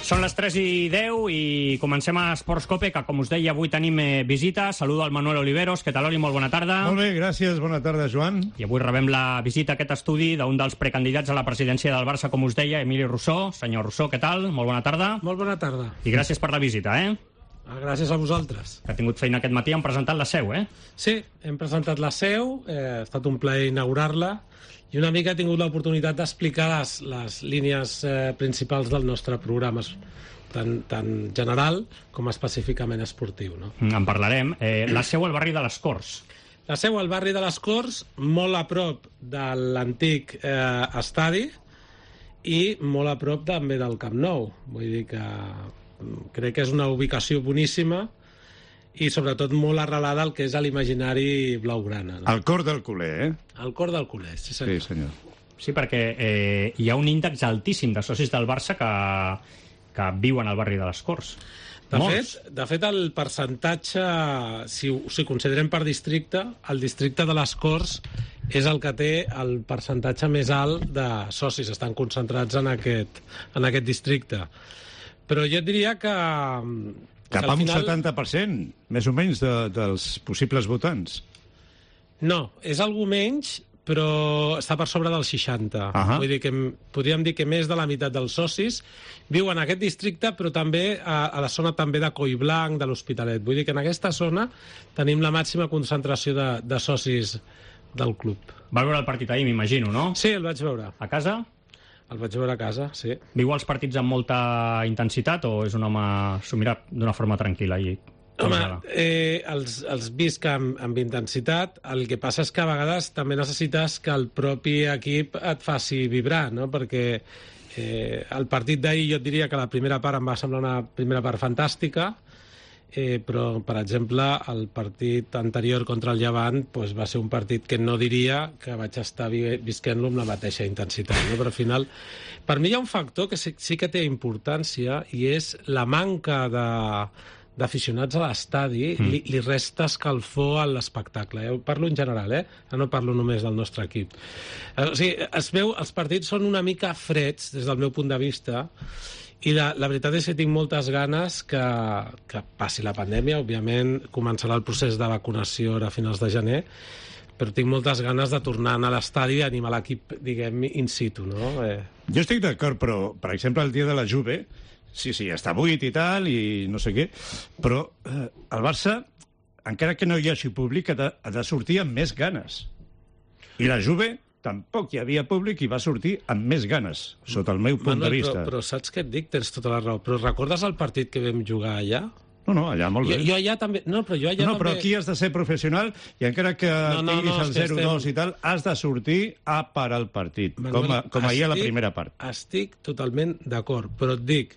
Són les 3:10 i comencem a Esports Cope, que com us deia avui tenim visita. Saludo al Manuel Oliveros. Què tal, Oli? Molt bona tarda. Molt bé, gràcies. Bona tarda, Joan. I avui rebem la visita a aquest estudi d'un dels precandidats a la presidència del Barça, com us deia, Emili Rousseau. Senyor Rousseau, què tal? Molt bona tarda. Molt bona tarda. I gràcies per la visita, Gràcies a vosaltres. Que ha tingut feina aquest matí, hem presentat la seu, Sí, hem presentat la seu, ha estat un plaer inaugurar-la, i una mica he tingut l'oportunitat d'explicar les línies principals del nostre programa, tant general com específicament esportiu. No? En parlarem. La seu al barri de les Corts. La seu al barri de les Corts, molt a prop de l'antic estadi i molt a prop també del Camp Nou. Vull dir que crec que és una ubicació boníssima i sobretot molt arrelada al que és l'imaginari blaugrana. No? Al cor del culer, Al cor del culer, sí senyor. Sí, senyor. Sí, perquè hi ha un índex altíssim de socis del Barça que viuen al barri de les Corts. De fet, el percentatge, si considerem per districte, el districte de les Corts és el que té el percentatge més alt de socis. Estan concentrats en aquest districte. Però jo et diria que Cap a un 70%, més o menys, dels possibles votants. No, és algú menys, però està per sobre del 60. Vull dir que podríem dir que més de la meitat dels socis viuen en aquest districte, però també a la zona també de Collblanc, de l'Hospitalet. Vull dir que en aquesta zona tenim la màxima concentració de socis del club. Va veure el partit ahir, m'imagino, no? Sí, el vaig veure. A casa? El vaig veure a casa, sí. Viu els partits amb molta intensitat o és un home s'ho mira d'una forma tranquil·la? Home, els visc amb intensitat. El que passa és que a vegades també necessites que el propi equip et faci vibrar, no? Perquè el partit d'ahir jo et diria que la primera part em va semblar una primera part fantàstica, però, per exemple, el partit anterior contra el Llevant va ser un partit que no diria que vaig estar visquent-lo amb la mateixa intensitat. No? Però al final, per mi hi ha un factor que sí que té importància i és la manca d'aficionats a l'estadi li resta escalfor a l'espectacle. Jo parlo en general, no parlo només del nostre equip. O sigui, els partits són una mica freds des del meu punt de vista i la veritat és que tinc moltes ganes que passi la pandèmia. Òbviament començarà el procés de vacunació a finals de gener, però tinc moltes ganes de tornar a l'estadi i animar l'equip, diguem, in situ, no? Jo estic d'acord, però, per exemple, el dia de la Juve, sí, està buit i tal, i no sé què, però el Barça, encara que no hi hagi públic, ha de sortir amb més ganes. I la Juve tampoc hi havia públic i va sortir amb més ganes, sota el meu punt de vista. Però saps què et dic? Tens tota la raó. Però recordes el partit que vam jugar allà? No, allà molt bé. Jo allà també... Però aquí has de ser professional i encara que tinguis el 0-2 i tal, has de sortir a parar el partit, com ahir a la primera part. Estic totalment d'acord, però et dic,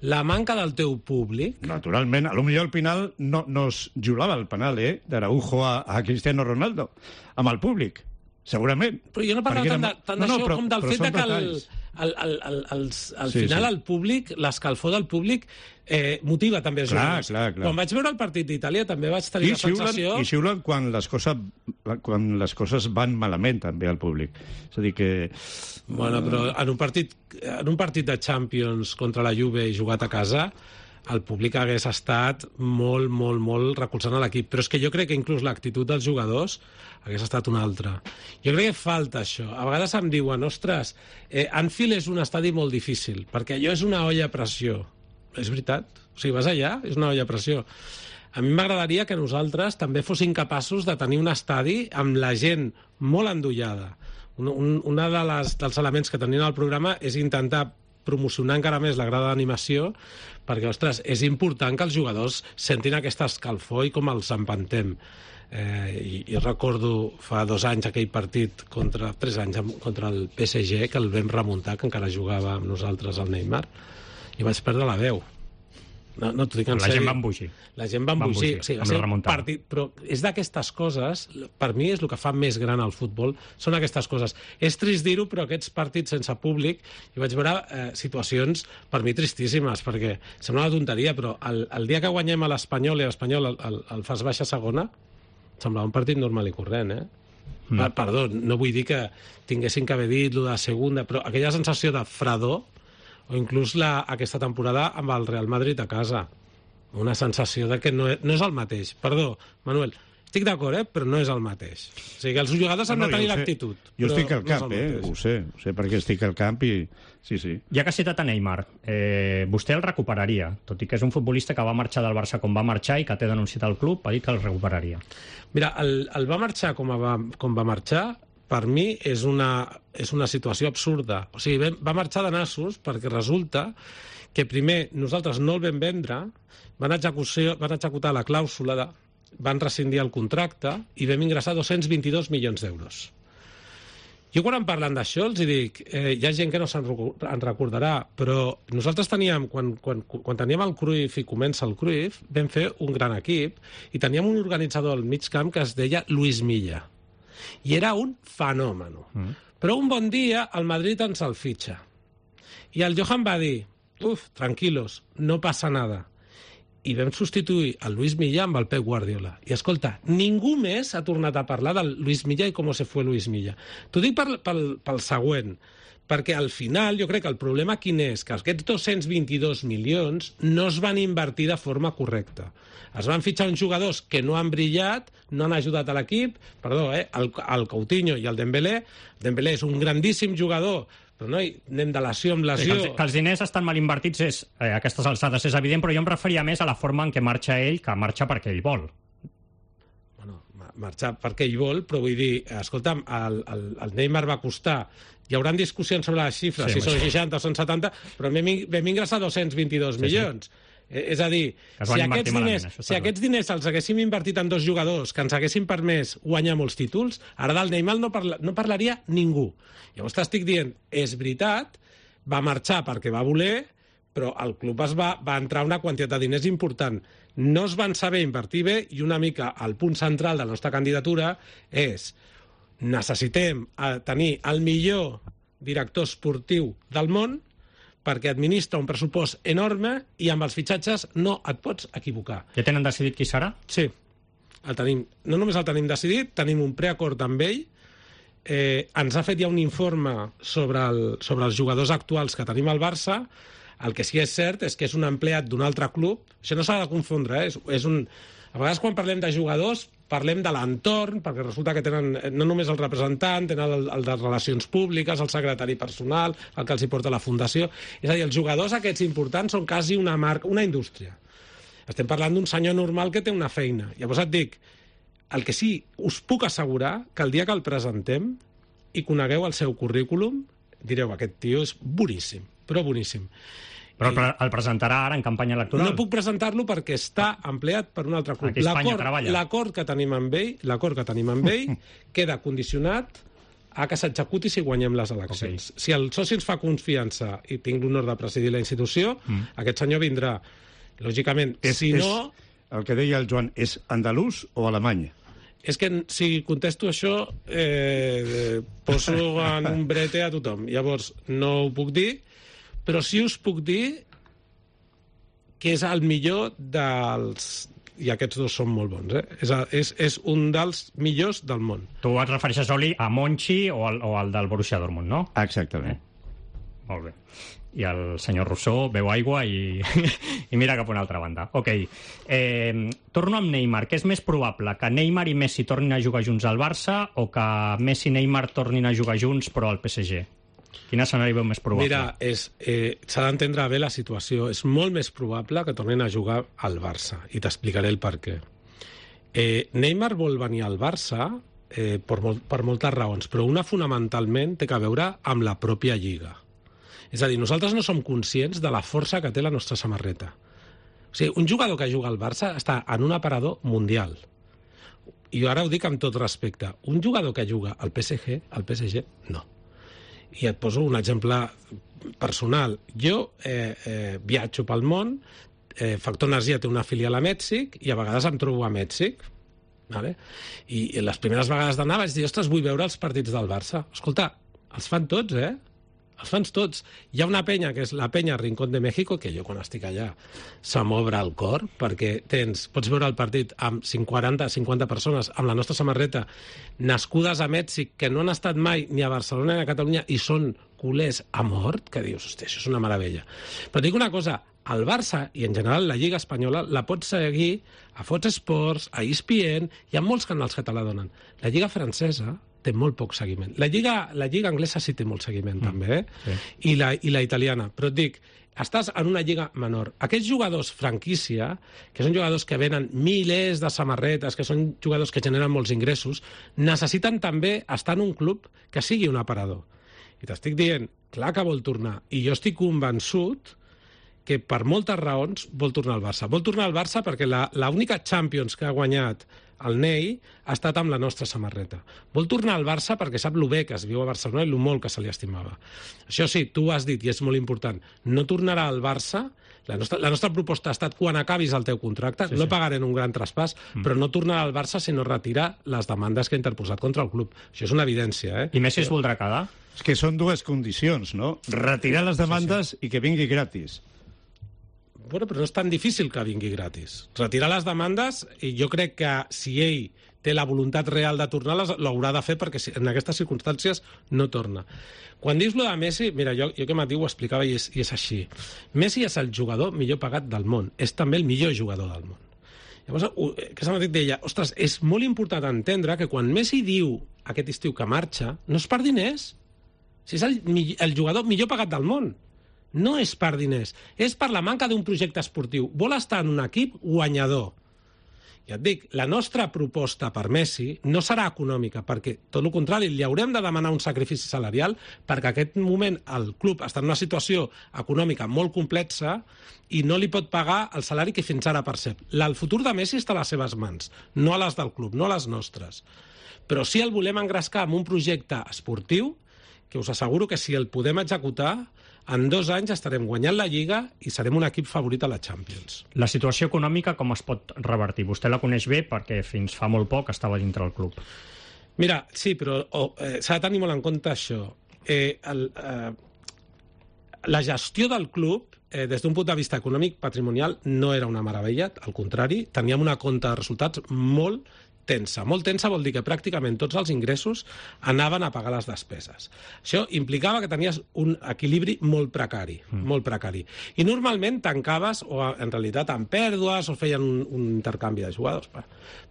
la manca del teu públic... Naturalment, potser al final no es julava el penal, d'Araujo a Cristiano Ronaldo, amb el públic. Segurament. Però jo no parlava tant d'això com del fet que al final el públic, l'escalfor del públic motiva també els jugadors. Clar. Quan vaig veure el partit d'Itàlia també vaig tenir la sensació... I xiulen quan les coses van malament també al públic. És a dir que... Bueno, però en un partit de Champions contra la Juve i jugat a casa, el públic hagués estat molt, molt, molt recolzant a l'equip. Però és que jo crec que inclús l'actitud dels jugadors hagués estat una altra. Jo crec que falta això. A vegades em diuen, ostres, Anfield és un estadi molt difícil, perquè allò és una olla a pressió. És veritat. O sigui, vas allà, és una olla a pressió. A mi m'agradaria que nosaltres també fossin capaços de tenir un estadi amb la gent molt endollada. Un dels elements que tenien al programa és intentar promocionar encara més la grada d'animació, perquè, ostres, és important que els jugadors sentin aquesta escalfor i com els empantem. I recordo fa 2 anys aquell partit 3 anys contra el PSG, que el vam remuntar, que encara jugava amb nosaltres el Neymar, i vaig perdre la veu. No t'ho dic en sèrio. La gent va embogir. La gent va embogir. Sí, va ser un partit, però és d'aquestes coses, per mi és el que fa més gran el futbol, són aquestes coses. És trist dir-ho, però aquests partits sense públic, hi vaig veure situacions per mi tristíssimes, perquè sembla una tonteria, però el dia que guanyem a l'Espanyol i l'Espanyol el fas baixa segona, semblava un partit normal i corrent, Perdó, no vull dir que tinguessin que haver dit lo de segunda, però aquella sensació de fredor o inclús aquesta temporada amb el Real Madrid a casa. Una sensació de que no és el mateix. Perdó, Manuel, estic d'acord, però no és el mateix. O sigui, els jugadors han de tenir l'actitud. Jo estic al camp, ho sé perquè estic al camp i... Sí. Ja que ha citat a Neymar, vostè el recuperaria, tot i que és un futbolista que va marxar del Barça com va marxar i que té denunciat al club, ha dit que el recuperaria. Mira, el va marxar com va marxar, per mi és una situació absurda. O sigui, va marxar de nassos perquè resulta que primer nosaltres no el vam vendre, van executar la clàusula, van rescindir el contracte i vam ingressar 222 milions d'euros. Jo quan em parlen d'això els dic, hi ha gent que no se'n recordarà, però nosaltres teníem, quan teníem el Cruyff i comença el Cruyff, vam fer un gran equip i teníem un organitzador al mig camp que es deia Luis Milla. I era un fenòmeno. Però un bon dia el Madrid ens el fitxa. I el Johan va dir, tranquilos, no passa nada. I vam substituir el Luis Milla amb el Pep Guardiola. I escolta, ningú més ha tornat a parlar del Luis Milla i com se fue Luis Milla. T'ho dic pel següent, perquè al final jo crec que el problema quin és? Que aquests 222 milions no es van invertir de forma correcta. Es van fitxar uns jugadors que no han brillat, no han ajudat a l'equip, el Coutinho i el Dembélé. Dembélé és un grandíssim jugador, però no, anem de lesió en lesió. Que els diners estan mal invertits a aquestes alçades és evident, però jo em referia més a la forma en què marxa ell, que marxa perquè ell vol. Bueno, marxar perquè ell vol, però vull dir, escolta'm, el Neymar va costar... Hi haurà discussions sobre les xifres, si són 60 o són 70, però vam ingressar 222 milions. És a dir, si aquests diners els haguéssim invertit en dos jugadors que ens haguessin permès guanyar molts títols, ara del Neymar no parlaria ningú. Llavors t'estic dient, és veritat, va marxar perquè va voler, però el club va entrar una quantitat de diners important. No es van saber invertir bé i una mica el punt central de la nostra candidatura és necessitem tenir el millor director esportiu del món perquè administra un pressupost enorme i amb els fitxatges no et pots equivocar. Ja tenen decidit qui serà? Sí, el tenim. No només el tenim decidit, tenim un preacord amb ell. Ens ha fet ja un informe sobre els jugadors actuals que tenim al Barça. El que sí és cert és que és un empleat d'un altre club. Això no s'ha de confondre, A vegades quan parlem de jugadors parlem de l'entorn, perquè resulta que tenen no només el representant, tenen el de relacions públiques, el secretari personal, el que els hi porta la fundació. És a dir, els jugadors aquests importants són quasi una marca, una indústria. Estem parlant d'un senyor normal que té una feina. Llavors et dic, el que sí, us puc assegurar que el dia que el presentem i conegueu el seu currículum, direu, aquest tio és boníssim, però boníssim. Però el presentarà ara en campanya electoral? No puc presentar-lo perquè està empleat per un altre club. Aquí a Espanya treballa. L'acord que tenim amb ell queda condicionat a que s'executi si guanyem les eleccions. Okay. Si el soci ens fa confiança i tinc l'honor de presidir la institució, aquest senyor vindrà. Lògicament, no... El que deia el Joan, és andalús o alemany? És que si contesto això poso en un brete a tothom. Llavors, no ho puc dir, però sí us puc dir que és el millor dels... I aquests dos són molt bons, És un dels millors del món. Tu et refereixes, Oli, a Monchi o al del Borussia Dortmund, no? Exactament. Molt bé. I el senyor Rousseau beu aigua i mira cap a una altra banda. Ok. Torno amb Neymar. Què és més probable? Que Neymar i Messi tornin a jugar junts al Barça o que Messi i Neymar tornin a jugar junts però al PSG? Quin escenari veu més probable? Mira, s'ha d'entendre bé la situació. És molt més probable que tornin a jugar al Barça. I t'explicaré el per què. Neymar vol venir al Barça per moltes raons, però una fonamentalment té a veure amb la pròpia Lliga. És a dir, nosaltres no som conscients de la força que té la nostra samarreta. O sigui, un jugador que juga al Barça està en un aparador mundial. I ara ho dic amb tot respecte. Un jugador que juga al PSG no. I et poso un exemple personal. Jo viatjo pel món, Factor Energia té una filial a Mèxic i a vegades em trobo a Mèxic. Vale? I les primeres vegades d'anar vaig dir, ostres, vull veure els partits del Barça. Escolta, els fan tots, els fans tots. Hi ha una penya, que és la penya Rincón de México, que jo quan estic allà se m'obre el cor, perquè pots veure el partit amb 40-50 persones amb la nostra samarreta, nascudes a Mèxic, que no han estat mai ni a Barcelona ni a Catalunya, i són culers a mort, que dius, hòstia, això és una meravella. Però et dic una cosa, el Barça, i en general la Lliga Espanyola, la pots seguir a Fox Sports, a ESPN, hi ha molts canals que te la donen. La Lliga francesa té molt poc seguiment. La Lliga anglesa sí té molt seguiment, també, sí. I la italiana. Però et dic, estàs en una lliga menor. Aquests jugadors franquícia, que són jugadors que venen milers de samarretes, que són jugadors que generen molts ingressos, necessiten també estar en un club que sigui un aparador. I t'estic dient, clar que vol tornar. I jo estic convençut que per moltes raons vol tornar al Barça. Vol tornar al Barça perquè l'única Champions que ha guanyat el Ney ha estat amb la nostra samarreta. Vol tornar al Barça perquè sap lo bé que es viu a Barcelona i lo molt que se li estimava. Això sí, tu ho has dit i és molt important. No tornarà al Barça. La nostra proposta ha estat quan acabis el teu contracte, no pagarem un gran traspàs, però no tornarà al Barça si no retira les demandes que ha interposat contra el club. Això és una evidència, I Messi es voldrà quedar? És que són dues condicions, no? Retirar les demandes i que vingui gratis. Bueno, però no és tan difícil que vingui gratis. Retirar les demandes, i jo crec que si ell té la voluntat real de tornar-les, l'haurà de fer perquè en aquestes circumstàncies no torna. Quan dius lo de Messi, mira, jo que Matí ho explicava i és així. Messi és el jugador millor pagat del món. És també el millor jugador del món. Llavors, aquesta Matí deia, ostres, és molt important entendre que quan Messi diu aquest estiu que marxa, no és per diners. Si és el jugador millor pagat del món. No és per diners, és per la manca d'un projecte esportiu. Vol estar en un equip guanyador. Ja et dic, la nostra proposta per Messi no serà econòmica, perquè, tot el contrari, li haurem de demanar un sacrifici salarial perquè en aquest moment el club està en una situació econòmica molt complexa i no li pot pagar el salari que fins ara percep. El futur de Messi està a les seves mans, no a les del club, no a les nostres. Però sí el volem engrescar amb un projecte esportiu que us asseguro que si el podem executar, en 2 anys estarem guanyant la Lliga i serem un equip favorit a la Champions. La situació econòmica com es pot revertir? Vostè la coneix bé perquè fins fa molt poc estava dintre del club. Mira, sí, però s'ha de tenir molt en compte això. La gestió del club, des d'un punt de vista econòmic, patrimonial, no era una meravella, al contrari, teníem una compta de resultats molt tensa. Molt tensa vol dir que pràcticament tots els ingressos anaven a pagar les despeses. Això implicava que tenies un equilibri molt precari, molt precari. I normalment tancaves, o en realitat amb pèrdues, o feien un intercanvi de jugadors.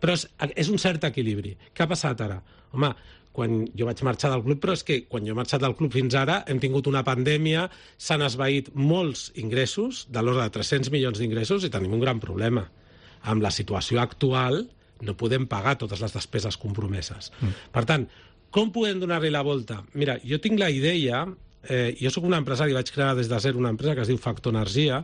Però és un cert equilibri. Què ha passat ara? Home, quan jo vaig marxar del club, però és que quan jo he marxat del club fins ara hem tingut una pandèmia, s'han esvaït molts ingressos, de l'ordre de 300 milions d'ingressos, i tenim un gran problema. Amb la situació actual no podem pagar totes les despeses compromeses. Per tant, com podem donar-li la volta? Mira, jo tinc la idea, jo sóc un empresari, vaig crear des de zero una empresa que es diu Factor Energia,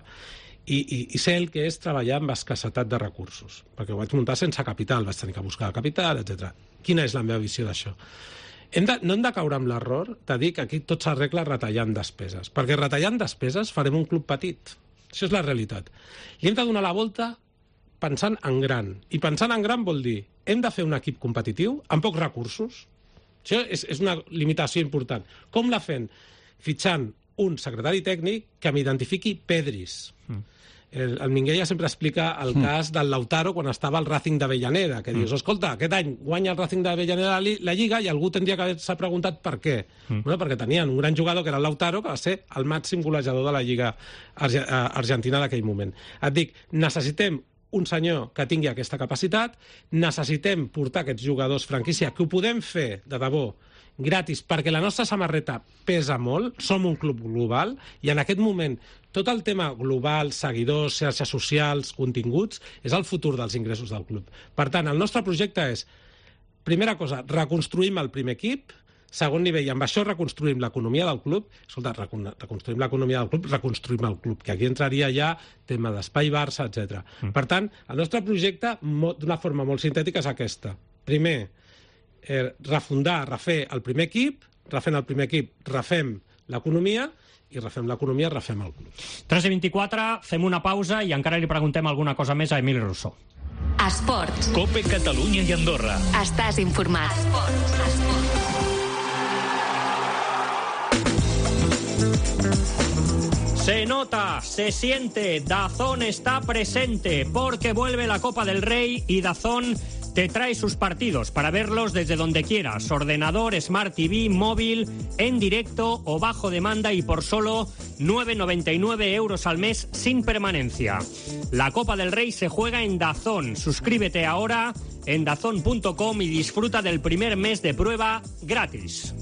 i sé el que és treballar amb escassetat de recursos, perquè ho vaig muntar sense capital, vaig tenir que buscar capital, etc. Quina és la meva visió d'això? No hem de caure amb l'error de dir que aquí tot s'arregla retallant despeses, perquè retallant despeses farem un club petit. Això és la realitat. I hem de donar la volta pensant en gran. I pensant en gran vol dir hem de fer un equip competitiu amb pocs recursos. Això és una limitació important. Com la fem? Fitxant un secretari tècnic que m'identifiqui pedris. El Minguella sempre explica el cas del Lautaro quan estava al Racing d'Avellaneda, que dius, escolta, aquest any guanya el Racing d'Avellaneda la Lliga i algú tindria que haver-se preguntat per què. Bueno, perquè tenien un gran jugador que era el Lautaro, que va ser el màxim golejador de la Lliga argentina d'aquell moment. Et dic, necessitem un senyor que tingui aquesta capacitat, necessitem portar aquests jugadors franquícia, que ho podem fer, de debò, gratis, perquè la nostra samarreta pesa molt, som un club global, i en aquest moment tot el tema global, seguidors, xarxes socials, continguts, és el futur dels ingressos del club. Per tant, el nostre projecte és, primera cosa, reconstruïm el primer equip, segon nivell, amb això reconstruïm l'economia del club. Escolta, reconstruïm l'economia del club, reconstruïm el club, que aquí entraria ja tema d'espai Barça, etc. Per tant, el nostre projecte, d'una forma molt sintètica, és aquesta. Primer, refer el primer equip, refent el primer equip, refem l'economia, i refem l'economia, refem el club. 3:24, fem una pausa i encara li preguntem alguna cosa més a Emili Rousseau. Esports. COPE Catalunya i Andorra. Estàs informat. Esports. Se nota, se siente, DAZN está presente porque vuelve la Copa del Rey y DAZN te trae sus partidos para verlos desde donde quieras, ordenador, Smart TV, móvil, en directo o bajo demanda y por solo 9,99 € al mes sin permanencia. La Copa del Rey se juega en DAZN. Suscríbete ahora en dazn.com y disfruta del primer mes de prueba gratis.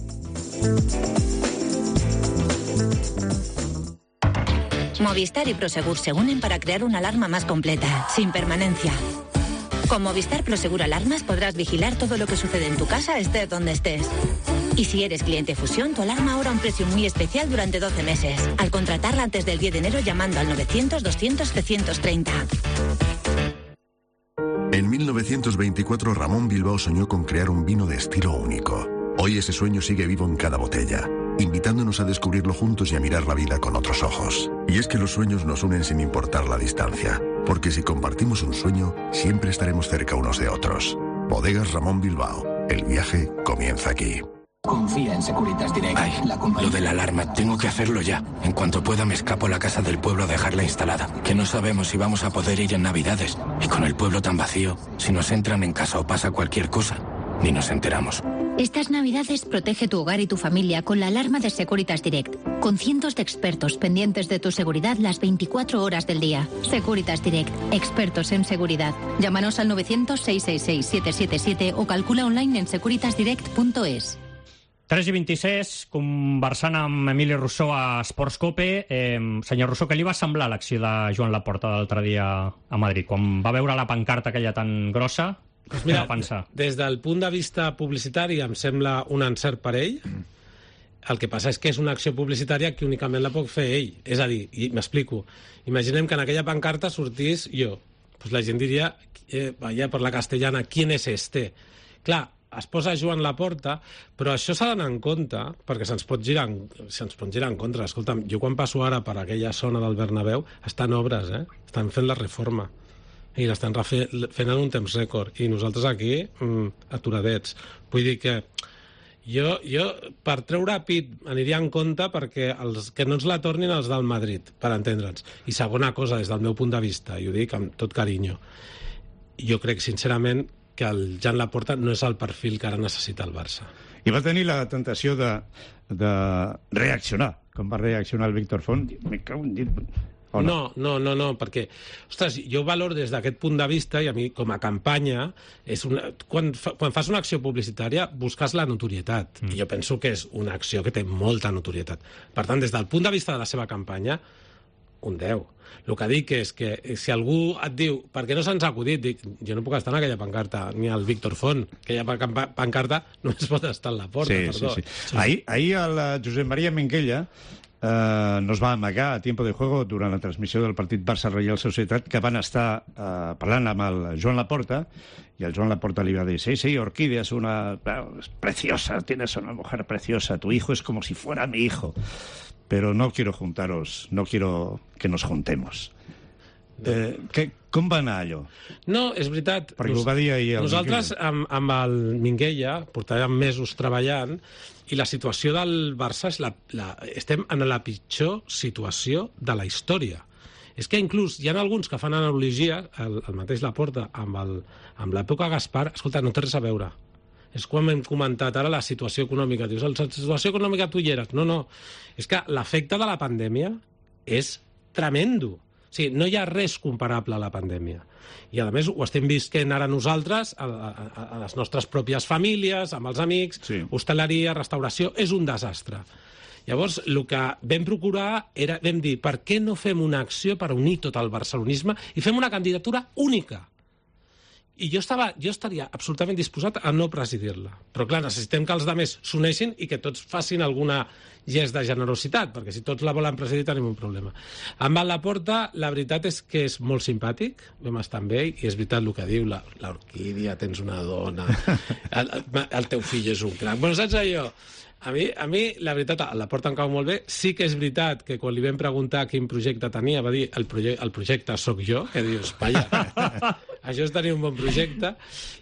Movistar y Prosegur se unen para crear una alarma más completa, sin permanencia. Con Movistar Prosegur Alarmas podrás vigilar todo lo que sucede en tu casa, estés donde estés. Y si eres cliente Fusión, tu alarma ahora a un precio muy especial durante 12 meses. Al contratarla antes del 10 de enero llamando al 900-200-730. En 1924, Ramón Bilbao soñó con crear un vino de estilo único. Hoy ese sueño sigue vivo en cada botella, invitándonos a descubrirlo juntos y a mirar la vida con otros ojos. Y es que los sueños nos unen sin importar la distancia, porque si compartimos un sueño, siempre estaremos cerca unos de otros. Bodegas Ramón Bilbao. El viaje comienza aquí. Confía en Securitas Direct. Ay, lo de la alarma, tengo que hacerlo ya. En cuanto pueda me escapo a la casa del pueblo a dejarla instalada. Que no sabemos si vamos a poder ir en Navidades. Y con el pueblo tan vacío, si nos entran en casa o pasa cualquier cosa, ni nos enteramos. Estas Navidades protege tu hogar y tu familia con la alarma de Securitas Direct, con cientos de expertos pendientes de tu seguridad las 24 horas del día. Securitas Direct, expertos en seguridad. Llámanos al 900-666-777 o calcula online en securitasdirect.es. 3:26, conversant amb Emili Rousseau a Sportscope. Senyor Rousseau, què li va semblar l'acció de Joan Laporta l'altre dia a Madrid? Quan va veure la pancarta aquella tan grossa, Pues mira, què va pensar? Des del punt de vista publicitari em sembla un encert per ell. El que passa és que és una acció publicitària que únicament la pot fer ell. És a dir, i m'explico, imaginem que en aquella pancarta sortís jo. Pues la gent diria, vaya per la castellana, ¿quién es este? Clar, es posa Joan Laporta, però això s'ha d'anar en compte, perquè se'ns pot girar en contra. Escolta'm, jo quan passo ara per aquella zona del Bernabéu, estan obres, estan fent la reforma, i l'estan fent en un temps rècord, i nosaltres aquí, aturadets. Vull dir que jo per treure pit aniria en compte perquè que no ens la tornin els del Madrid, per entendre'ns. I segona cosa, des del meu punt de vista, i ho dic amb tot carinyo, jo crec sincerament que el Joan Laporta no és el perfil que ara necessita el Barça. I va tenir la tentació de reaccionar, com va reaccionar el Víctor Font. Me cago en dit. No, perquè, ostres, jo valoro des d'aquest punt de vista, i a mi, com a campanya, quan fas una acció publicitària, busques la notorietat. I jo penso que és una acció que té molta notorietat. Per tant, des del punt de vista de la seva campanya, un 10. El que dic és que si algú et diu per què no se'ns ha acudit, dic, jo no puc estar en aquella pancarta, ni el Víctor Font. Aquella pancarta només pot estar en la porta, perdó. Sí. Ahir el Josep Maria Minguella nos va amagar a tiempo de juego durant la transmissió del partit Barça-Reial Societat, que van estar parlant amb el Joan Laporta, i el Joan Laporta li va dir, sí, Orquídea es preciosa, tienes una mujer preciosa, tu hijo es como si fuera mi hijo, pero no quiero juntaros, no quiero que nos juntemos. Com va anar allò? No, és veritat. Perquè ho va dir ahir el nosaltres amb el Minguella portàvem mesos treballant i la situació del Barça estem en la pitjor situació de la història. És que inclús hi ha alguns que fan analogia, el mateix Laporta, amb l'època Gaspar. Escolta, no té res a veure. És quan hem comentat ara la situació econòmica. Dius, la situació econòmica tu hi eres. No. És que l'efecte de la pandèmia és tremendo. O sigui, no hi ha res comparable a la pandèmia. I, a més, ho estem visquent ara nosaltres, a les nostres pròpies famílies, amb els amics, sí. Hostaleria, restauració, és un desastre. Llavors, el que vam procurar vam dir, per què no fem una acció per unir tot el barcelonisme i fem una candidatura única? I jo estaria absolutament disposat a no presidir-la. Però, clar, necessitem que els altres s'uneixin i que tots facin alguna gest de generositat, perquè si tots la volen presidir tenim un problema. Amb el Laporta, la veritat és que és molt simpàtic, vam estar amb ell, i és veritat el que diu, l'Orquídea, tens una dona, el teu fill és un crac. Bueno, saps allò? A mi, la veritat, el Laporta em cau molt bé. Sí que és veritat que quan li vam preguntar quin projecte tenia, va dir, el projecte sóc jo, que dius, vaja, Això és tenir un bon projecte.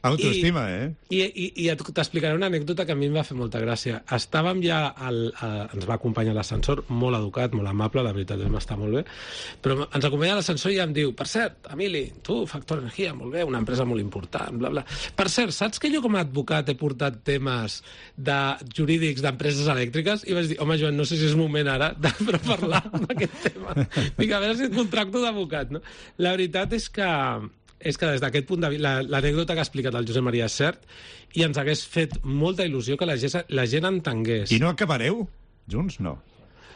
Autoestima, I t'explicaré una anècdota que a mi em va fer molta gràcia. Estàvem ja, ens va acompanyar l'ascensor, molt educat, molt amable, la veritat, vam estar molt bé, però ens acompanya l'ascensor i em diu, per cert, Emili, tu, Factor Energia, molt bé, una empresa molt important, bla, bla. Per cert, saps que jo com a advocat he portat temes jurídics d'empreses elèctriques? I vaig dir, home, Joan, no sé si és moment ara de parlar d'aquest tema. Dic, a veure si et contracto d'advocat, no? La veritat és que des d'aquest punt de vista, l'anècdota que ha explicat el Josep Maria és cert, i ens hagués fet molta il·lusió que la gent entengués. I no acabareu junts? No.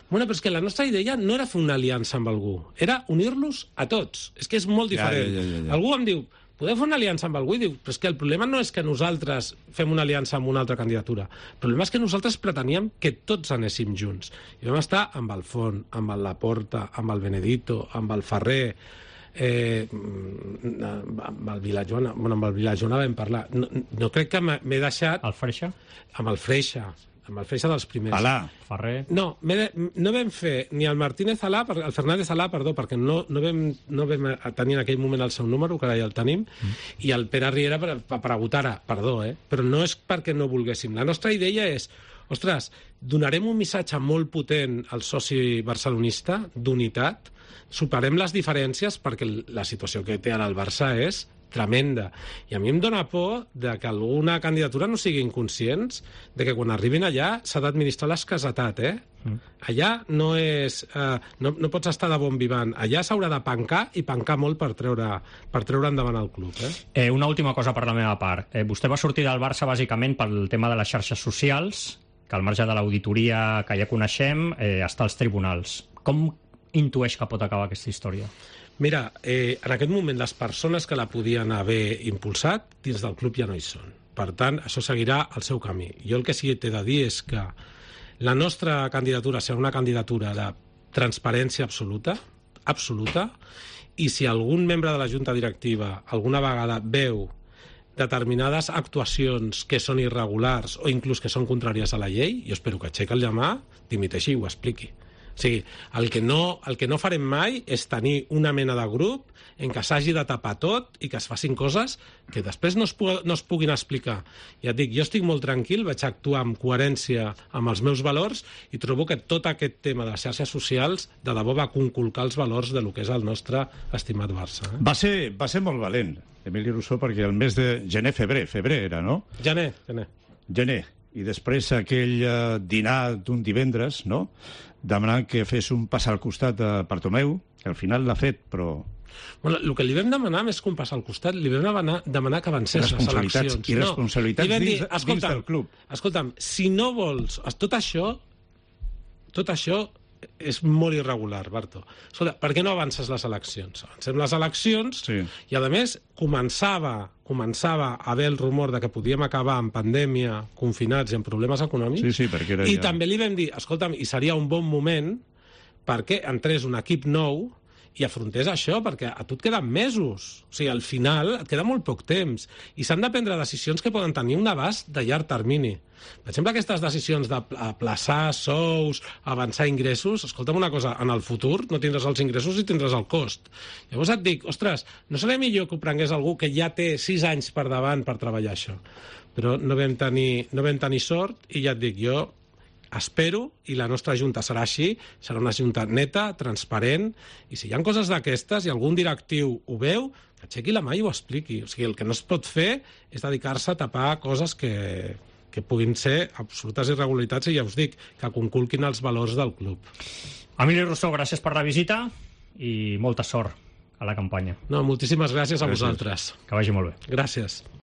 Bueno, però és que la nostra idea no era fer una aliança amb algú, era unir-los a tots. És que és molt diferent. Ja. Algú em diu, podeu fer una aliança amb algú? I diu, però és que el problema no és que nosaltres fem una aliança amb una altra candidatura. El problema és que nosaltres preteníem que tots anéssim junts. I vam estar amb el Font, amb el Laporta, amb el Benedito, amb el Ferrer, amb el Vilajoana. Bueno, amb el Vilajoana vam parlar. No crec que m'he deixat... El Freixa? Amb el Freixa dels primers. Alà. Ferrer. No vam fer ni el Martínez Alà, el Fernández Alà, perdó, perquè no vam tenir en aquell moment el seu número, que ara ja el tenim, i el Pere Riera per a Gutara, perdó, però no és perquè no volguéssim. La nostra idea és, ostres, donarem un missatge molt potent al soci barcelonista d'unitat, superem les diferències perquè la situació que té ara el Barça és tremenda. I a mi em dóna por de que alguna candidatura no siguin conscients de que quan arribin allà s'ha d'administrar l'escassetat, Allà no és... no pots estar de bon vivant. Allà s'haurà de pencar i pencar molt per treure endavant el club, Una última cosa per la meva part. Vostè va sortir del Barça bàsicament pel tema de les xarxes socials, que al marge de l'auditoria que ja coneixem està als tribunals. Com intueix que pot acabar aquesta història? Mira, en aquest moment les persones que la podien haver impulsat dins del club ja no hi són. Per tant, això seguirà el seu camí. Jo el que sí que t'he de dir és que la nostra candidatura serà una candidatura de transparència absoluta, i si algun membre de la junta directiva alguna vegada veu determinades actuacions que són irregulars o inclús que són contràries a la llei, jo espero que aixequi el llamà, dimiteixi i ho expliqui. O sigui, el que no farem mai és tenir una mena de grup en què s'hagi de tapar tot i que es facin coses que després no es puguin explicar. Ja et dic, jo estic molt tranquil, vaig actuar amb coherència amb els meus valors i trobo que tot aquest tema de les xarxes socials de debò va conculcar els valors de lo que és el nostre estimat Barça. Va ser molt valent, Emili Rousseau, perquè el mes de febrer era, no? Gener. I després aquell dinar d'un divendres, no?, demanant que fes un pas al costat de Bartomeu, que al final l'ha fet, però... Bueno, el que li vam demanar més que un pas al costat, li vam demanar que avancés les eleccions. I responsabilitats dins del club. Escolta'm, si no vols... Tot això és molt irregular, Barto. Escolta, per què no avances les eleccions? Avancem les eleccions i, a més, començava a haver el rumor de que podíem acabar en pandèmia, confinats i amb problemes econòmics. Sí, perquè era I també li vam dir, escolta'm, i seria un bon moment perquè entrés un equip nou i afrontés això, perquè a tu et queden mesos. O sigui, al final et queda molt poc temps. I s'han de prendre decisions que poden tenir un abast de llarg termini. Per exemple, aquestes decisions d'aplaçar sous, avançar ingressos, escolta'm una cosa, en el futur no tindràs els ingressos i tindràs el cost. Llavors et dic, ostres, no seria millor que ho prengués algú que ja té 6 anys per davant per treballar això? Però no vam tenir sort i ja et dic, jo espero, i la nostra junta serà així, serà una junta neta, transparent, i si hi ha coses d'aquestes i algun directiu ho veu, que aixequi la mà i ho expliqui. O sigui, el que no es pot fer és dedicar-se a tapar coses que puguin ser absolutes irregularitats i ja us dic, que conculquin els valors del club. Emili Rousseau, gràcies per la visita i molta sort a la campanya. No, moltíssimes gràcies a vosaltres. Que vagi molt bé. Gràcies.